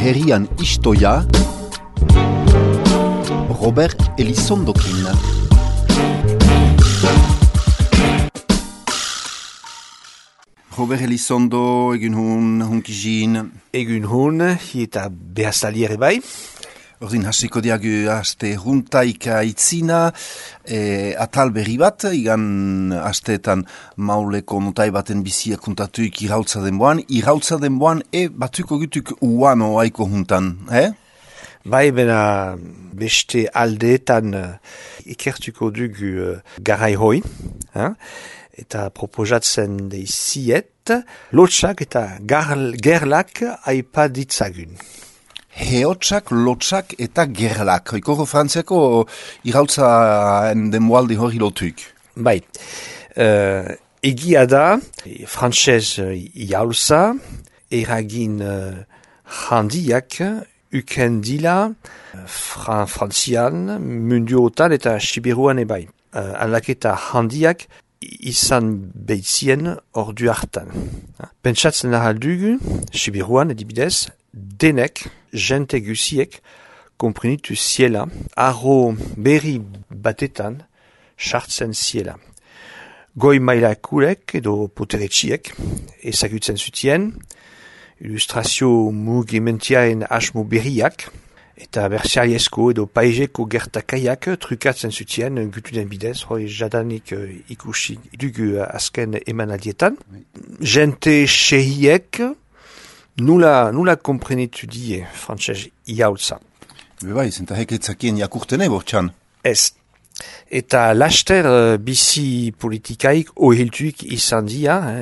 herrian istoia, Robert Elizondokin. Robert Elizondo, egun hunkizin. Egun hun, eta behaztaliere bai. Ordin hasiko diagu aste juntaika itzina, atal berri bat, igan asteetan mauleko notai baten bizia kontatuik irautza denboan batuko gutuk uano aiko juntan, Bai, bena beste aldeetan ikertuko dugu garai hoi, eta proposatzen deiziet, lotsak eta gerlak aipa ditzagun. Heotsak, lotsak eta gerlak. Ikoro frantziako irautza denboaldi hori lotuik. Bai, egia da, frantsez jaulza, eragin handiak, uken dila, frantzian, munduotan eta sibiruan ebai. Aldaketa handiak izan behitzien ordu hartan. Pentsatzen ahaldugu, sibiruan edibidez, denek, jente guziek, komprenitu ziela, arro berri batetan, sartzen ziela. Goi mailakulek edo poteretxiek, ezagutzen zutien, ilustrazio mugimentiaren asmo berriak, eta bersiariesko edo paizeko gertakaiak trukatzen zutien gutuden bidez, hoi jadanik ikusi dugu azken emanaldietan. Jente sehiek, nula komprenitu die frantsez iaultza. Bai, zenta heketzakien jakurtene bortxan. Ez. Eta laster bizi politikaik ohiltuik izan dia,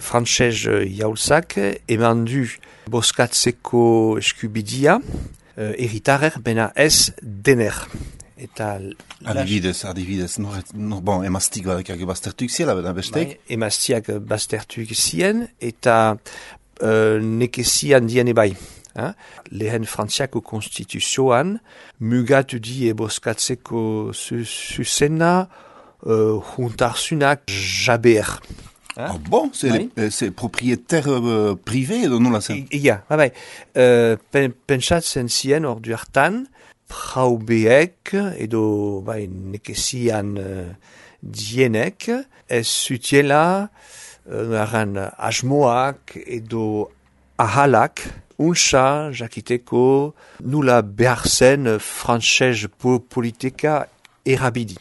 frantsez iaultzak eman du boskatzeko eskubidia, erritarer bena ez dener. Eta adibidez, bon, emaztik badakak baztertuik ziela, beda bestek? Bai, emaztiak baztertuik zien, eta nekezian diene bai. Lehen frantziako konstituzioan, mugatu die boskatzeko zuzena, juntarzunak jaber. Ah bon, c'est propriétaire privé edo nola zen? Ia, bai. Pentsatzen zien ordu hartan, praubeek edo nekezian dienek, ez zutiela asmoak edo ahalak unsa jakiteko nula behar zen frantsez politika erabidi.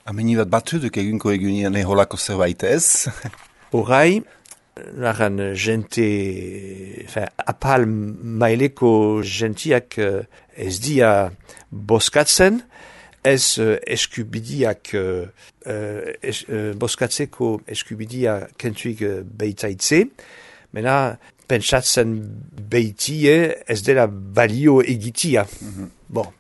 Ameni bat batuduk egunko egunean eholako zerbait ez? Horai, apal maileko gentiak ez dia boskatzen, ez eskubidiak, boskatzeko eskubidia kentuik behitaitze, mena pentsatzen behitie ez dela balio egitia. Bon.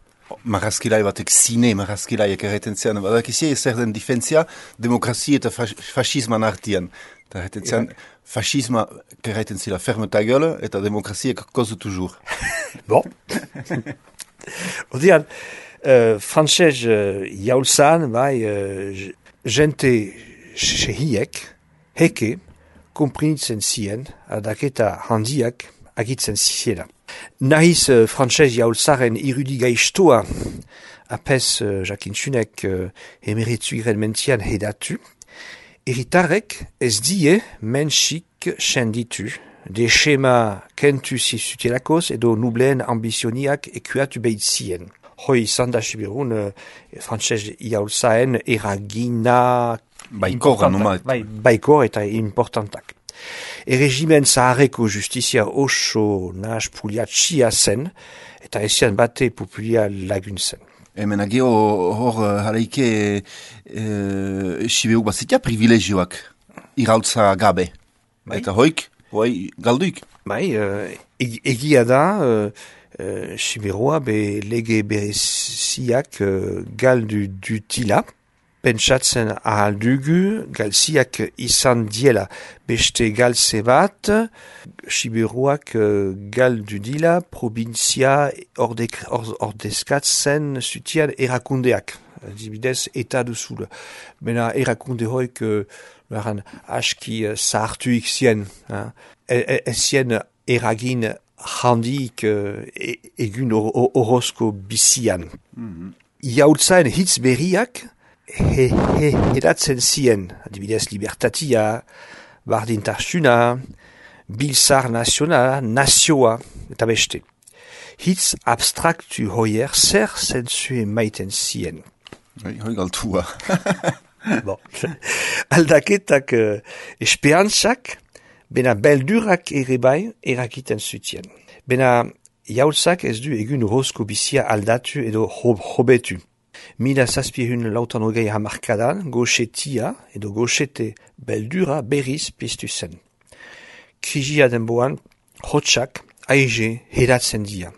Marrazkilai batek zine marrazkilaiak erreten zean, badakizie zer den difentzia demokrazia eta fascisman artian. Eta erreten zean, fascisma erreten zila ferme ta gueule eta demokrazia cause toujours. Bon. Odean, frantsez jaulzan, jente sehiek, heke, komprenitzen zien, aldaketa handiak agitzen ziela. Nahiz frantsez jaulzaren irudigaiztoa apes jakintzunek emeretzuiren mentian hedatu, erritarrek ez die mensik senditu, de schema kentu zizutelakoz edo nubleen ambizioniak ekuatu behitzien. Hoi izan da sibirun frantsez jaulzaen eragina baikor eta importantak. Erregimen zaharreko justizia oso nahas puliatxia zen, eta ezian bate populia laguntzen. Hemen agio hor haraike sibeuk bazitia privilegioak irautza gabe. Eta hoik, galduik. Bai, egia da, siberua be lege bereziak galdu dutila, pentsatzen ahaldugu, galziak izan diela beste galtze bat, siberuak galdu dila provintzia ordezkatzen zutian erakundeak. Dibidez, eta duzula. Bena erakunde hoik aski zahartuik zien. Ez zien eragin handik egun horozko bizian. Iaultzaen hitz berriak hedatzen zien, adibidez libertatia, bardintasuna, biltzar nazionala, nazioa, eta beste. Hitz abstraktu hoier zer zentzu emaiten zien. Hoi galtua. Bon. Aldaketak esperantzak, bena beldurak ere bai erakiten zutien. Bena jaultzak ez du egun horozko bizia aldatu edo hobetu. 1780 hamarkadan goxetia edo goxete beldura berriz piztu zen. Krisia denboan hotxak aize hedatzen dia.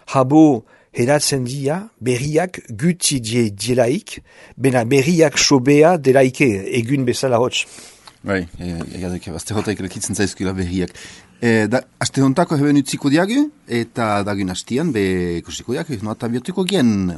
Habo hedatzen dia berriak guti dielaik, bena berriak sobea delaike egun bezala hotx. Bai, egadek, azte hotaik lekitzen zaizkila berriak. Aste hontako heben utziko diagu, eta dagun hastian, be ikusiko diagu, no eta biotuko gen.